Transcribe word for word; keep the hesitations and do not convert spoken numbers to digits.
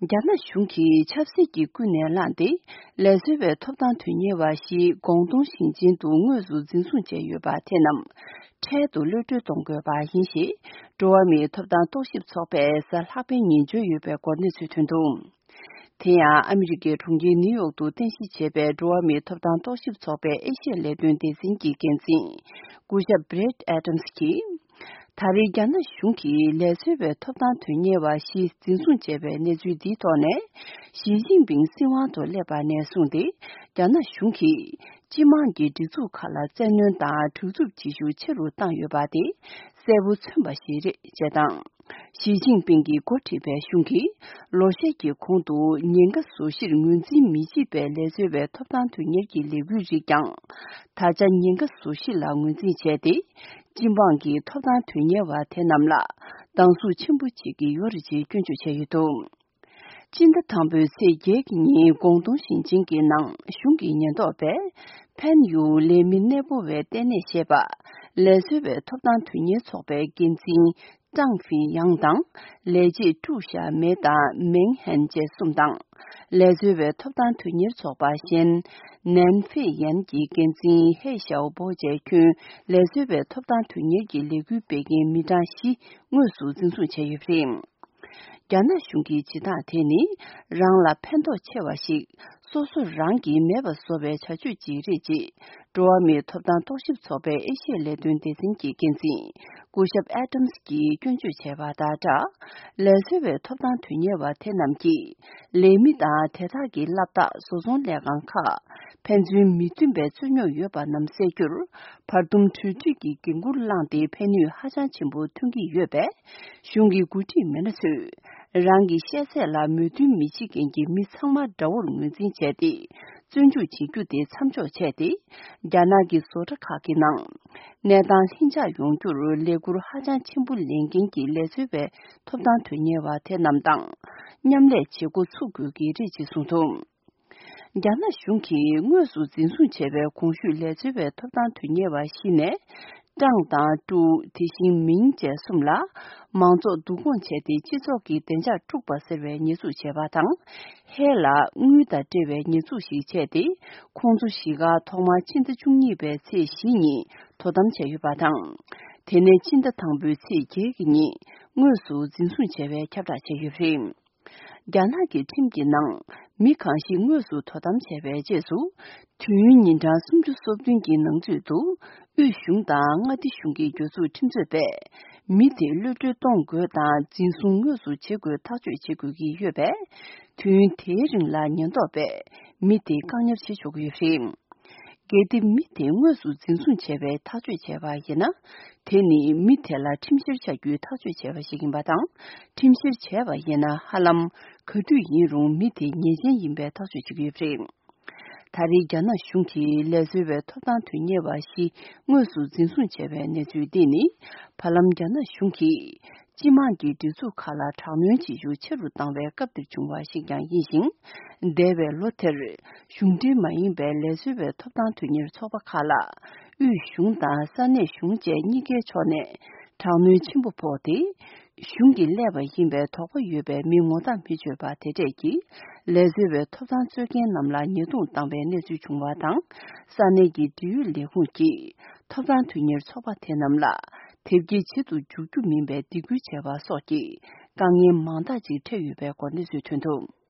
རྒྱ་ནག་གཞུང་གིས་ཆབ་སྲིད་ཀྱི་ཀུན་ནས་བསླངས་ཏེ། ལས་བཟོ་བའི་ཐོབ་ཐང་དོན་གཉེར་བ་ཞིག་ཀོང་ཏུང་ཞིང་ཆེན་དུ་དངོས་སུ་འཛིན་བཟུང་བྱས་ཡོད་པ་དེ་རྣམས། འཕྲལ་དུ་གློད་བཀྲོལ་གཏོང་དགོས་པ་ཡིན་ཞེས། འགྲོ་བ་མིའི་ཐོབ་ཐང་རྟོག་ཞིབ་ཚོགས་པས་གཟའ་ལྷག་པའི་ཉིན་བརྗོད་ཡོད་པའི་སྐོར་གནས་ཚུལ་ཐོན་འདུག་དེ་ཡང་ཨ་མི་རི་ཀའི་གྲོང་ཁྱེར་ནིའུ་ཡོག་ཏུ་རྟེན་གཞི་བྱས་པའི་འགྲོ་བ་མིའི་ཐོབ་ཐང་རྟོག་ཞིབ་ཚོགས་པའི་ཨེ་ཤི་ཡ་ལས་དོན་སྡེ་ཚན་གྱི་འགན་འཛིན། སྐུ་ཞབས་བྷི་རེད་ཨེ་ཏམ་སི་གྱིས། ད་རེས་རྒྱ་ནག་གཞུང་གིས་ལས་བཟོ་བའི་ཐོབ་ཐང་དོན་གཉེར་བ་བཞི་འཛིན་བཟུང་བྱས་པའི་གནས་ཚུལ་འདིའི་ཐོག་ནས། ཞི་ཅིན་ཕིང་སྲིད་དབང་དུ་སླེབས་པ་ནས་བཟུང་སྟེ། རྒྱ་ནག་གཞུང་གིས་སྤྱི་དམངས་ཀྱི་སྒྲིག་འཛུགས་ཁག་ལ་བཙན་གནོན་དང་དྲག་རྩུབ་བྱེད་ཤུགས་ཆེ་རུ་བཏང་ཡོད་པ་དེ་གསལ་པོ་མཚོན་པ་ཞིག་རེད་ཅེས་དང་། ཞི་ཅིན་ཕིང་གིས་འགོ་ཁྲིད་པའི་གཞུང་གིས་ལོ་ཤས་ཀྱི་གོང་དུ་ཉེན་ཁ་བཟོ་གཞིར་ངོས་འཛིན་མི་བྱེད་པའི་ལས་བཟོ་བའི་ཐོབ་ཐང་དོན་གཉེར་གྱི་ལས་འགུལ་རིགས་ཀྱང་། ད་ཆ་ཉེན་ཁ་བཟོ་གཞི་ལ་ངོས་འཛིན་བྱས་ཏེ། སྤྱི་འབངས་ཀྱི་ཐོབ་ཐང་དོན་གཉེར་བ་དེ་རྣམས་ལ་སྡང་ཟུག་ཆེན་པོ་བྱེད་ཀྱི་ཡོད་རེད་ཅེས་སྐྱོན་བརྗོད་བྱས་ཡོད་འདུག་སྤྱི་ཟླ་དང་པོའི་ཚེས་བརྒྱད་ཀྱི་ཉིན་ཀོང་ཏུང་ཞིང་ཆེན་གྱི་ནང་གཞུང་གི་ཉེན་རྟོག་པས་ཕན་ཡུ་ལས་མི་གནས་སྤོ་བའི་ལྟེ་གནས་ཞེས་པ་ལས་བཟོ་བའི་ཐོབ་ཐང་དོན་གཉེར་ཚོགས་པའི་འགན་འཛིན་ཀྲང་ཧྥི་ཡང་དང་ལས་བྱེད་ཀྲུའུ་ཞ་མེ་དང་མེང་ཧན་བཅས་གསུམ་དང་། ལས་བཟོ་བའི་ཐོབ་ཐང་དོན་གཉེར་ཚོགས་པ་གཞན་ནན་ཧྥེ་ཡན་གྱི་འགན་འཛིན་ཧེ་ཞའོ་པོ་བཅས་ཁྱོན་ལས་བཟོ་བའི་ཐོབ་ཐང་དོན་གཉེར་གྱི་ལས་འགུལ་སྤེལ་མཁན་མི་གྲངས་བཞི་དངོས་སུ་འཛིན་བཟུང་བྱས་ཡོད་པ་རེད། རྒྱ་ནག་གཞུང་གི་བྱེད་སྟངས་དེ་ནི་རང་ལ་ཕན་ཐོགས་ཆེ་བ་ཞིག་སོ་སོ་རང་གིས་མེད་པ་བཟོ་བའི་བྱ་སྤྱོད་ཅིག་རེད་ཅེས་འགྲོ་བ་མིའི་ཐོབ་ཐང་རྟོག་ཞིབ་ཚོགས་པའི་ཨེ་ཤི་ཡའི་ལས་དོན་སྡེ་ཚན་གྱི་འགན་འཛིན་སྐུ་ཞབས་ཨེ་ཏམ་སི་གྱིས་སྐྱོན་བརྗོད་བྱས་པ་དང་སྦྲགས། ལས་བཟོ་བའི་ཐོབ་ཐང་དོན་གཉེར་བ་དེ་རྣམས་ཀྱིས་ལས་མི་དང་དེ་དག་གི་སློབ་གྲྭ་བཟོ་ཚོང་ལས་ཁང་ཁག་ཕན་ཚུན་མི་མཐུན་པའི་རྩོད་རྙོག་ཡོད་པ་རྣམས་སེལ་རྒྱུར་བར་འདུམ་གྲོས་འགྲིག་གི་འགན་འཁུར་བླངས་ཏེ་ཕན་ནུས་ཧ་ཅང་ཆེན་པོ་ཐོན་གྱི་ཡོད་པས། གཞུང་གི་འགོ་ཁྲིད་མི་སྣ་ཚོས་རང་གི་ཤེས་ཚད་ལ་མོས་མཐུན་མི་བྱེད་མཁན་གྱི་མི་ཚང་མ་དགྲ་བོར་ངོས་འཛིན་བྱས་ཏེ། བཙོན་འཇུག་བྱེད་རྒྱུ་དེ་མཚམས་འཇོག་བྱས་ཏེ། རྒྱ་ནག་གི་བཟོ་གྲྭ་ཁག་གི་ནང་གནས་སྟངས་ལྷིང་འཇགས་ཡོང་རྒྱུར་ལས་འཁུར་ཧ་ཅང་ཆེན་པོ་ལེན་མཁན་གྱི་ལས་བཟོ་བའི་ཐོབ་ཐང་དོན་གཉེར་བ་དེ་རྣམས་དང་མཉམ་ལས་བྱེད་འགོ་ཚུགས་དགོས་ཀྱི་རེད་ཅེས་གསུངས་འདུག་རྒྱ་ནག་གཞུང་གིས་དངོས་སུ་འཛིན་བཟུང་བྱས་པའི་གོང་ཞུས་ལས་བཟོ་བའི་ཐོབ་ཐང་དོན་གཉེར་བ་བཞི་ནས། ཀྲང་དང་ཀྲུའུ་དེ་བཞིན་མིང་བཅས་གསུམ་ལ་མང་ཚོགས་བསྡུ་སྐོང་བྱས་ཏེ་སྤྱི་ཚོགས་ཀྱི་བདེ་འཇགས་དཀྲུགས་པ་ཟེར་བའི་ཉེས་འཛུགས་བྱས་པ་དང་། ཧེ་ལ་དངུལ་དང་འབྲེལ་བའི་ཉེས་འཛུགས་ཤིག་བྱས་ཏེ། ཁོང་ཚོ་བཞི་ཀ་ཐོག་མར་ཕྱི་ཟླ་བཅུ་གཉིས་པའི་ཚེས་བཞི་ཉིན་དོ་དམ་བྱས་ཡོད་པ་དང་། དེ་ནས་ཕྱི་ཟླ་དང་པོའི་ཚེས་བརྒྱད་ཀྱི་ཉིན་དངོས་སུ་འཛིན་བཟུང་བྱས་པའི་ཁྱབ་བསྒྲགས་བྱས་ཡོད་པ་རེད། རྒྱ་ནག་གི་ཁྲིམས་ཀྱི་ནང་མི་གང་ཞིག་དངོས་སུ་དོ་དམ་བྱས་པའི་རྗེས་སུ། དུས་ཡུན་ཉིན་གྲངས་སུམ་ཅུ་སོ་བདུན་གྱི་ནང་ཚུད་དུ། དབུས་གཞུང་དང་མངའ་སྡེ་གཞུང་གི་གྱོད་འཛུགས་ཁྲིམས་རྩོད་པས། མི་དེ་གློད་གྲོལ་གཏོང་དགོས་དང་འཛིན་བཟུང་དངོས་སུ་བྱེད་དགོས་ཐག་གཅོད་བྱེད་དགོས་ཀྱི་ཡོད་པས། དུས་ཡུན་དེའི་རིང་ལ་ཉེན་རྟོག་པས་མི་དེ་བཀག་ཉར་བྱེད་ཆོག་གི་ཡོད་པ་རེད། གལ་ཏེ་མི་དེ་དངོས་སུ་འཛིན་བཟུང་བྱས་པའི་ཐག་གཅོད་བྱས་པ་ཡིན་ན། དེ་ནི་མི་དེ་ལ་ཁྲིམས་བཤེར་བྱ་རྒྱུའི་ཐག་གཅོད་བྱས་པ་ཞིག་ཡིན་པ་དང་། ཁྲིམས་བཤེར་བྱས་པ་ཡིན་ན་ཧ་ལམ་ག་དུས་ཡིན་རུང་མི་དེ་ཉེས་ཅན་ཡིན་པའི་ཐག་གཅོད་བྱེད་ཀྱི་ཡོད་པ་རེད། ད་རེས་རྒྱ་ནག་གཞུང་གིས་ལས་བཟོ་བའི་ཐོབ་ཐང་དོན་གཉེར་བ་བཞི་དངོས་སུ་འཛིན་བཟུང་བྱས་པའི་གནས་ཚུལ་འདི་ནི། བར་ལམ་རྒྱ་ནག་གཞུང་གིས། སྤྱི་དམངས་ཀྱི་སྒྲིག་འཛུགས་ཁག་ལ་དྲག་གནོན་བྱེད་ཤུགས་ཆེ་རུ་བཏང་བའི་སྐབས་དེར་བྱུང་བ་ཞིག་ཀྱང་ཡིན་ཞིང་། འདས་པའི་ལོ་དེར། གཞུང་འབྲེལ་མ་ཡིན་པའི་ལས་བཟོ་བའི་ཐོབ་ཐང་དོན་གཉེར་ཚོགས་པ་ཁག་ལ། དབུས་གཞུང་དང་ས་གནས་གཞུང་བཅས་གཉིས་ཀའི་ཕྱོགས་ནས། དྲག་གནོན་ཆེན་པོ་ཕོག་སྟེ། གཞུང་གིས་སླེབས་པ་ཡིན་པའི་དོགས་པ་ཡོད་པའི་མི་ངོ་རྟགས་མི་ཆོད་པ་དེ་གྲས་ཀྱིས། ལས་བཟོ་བའི་ཐོབ་ཐང་རྩོད་མཁན་རྣམས་ལ་ཉེས་རྡུང་བཏང་བའི་གནས་ཚུལ་བྱུང་བ་དང་། ས་གནས་ཀྱི་འབྲེལ་ཡོད་ལས་ཁུངས་ཀྱིས། ཐོབ་ཐང་དོན་གཉེར་ཚོགས་པ་དེ་རྣམས་ལ། དེབ་སྐྱེལ་བྱེད་དུ་འཇུག་རྒྱུ་མིན་པའི་སྡིགས་སྐུལ་བྱས་པ་སོགས་ཀྱི་དཀའ་ངལ་མང་དག་ཅིག་འཕྲད་ཡོད་པའི་སྐོར་གནས་ཚུལ་ཐོན་འདུག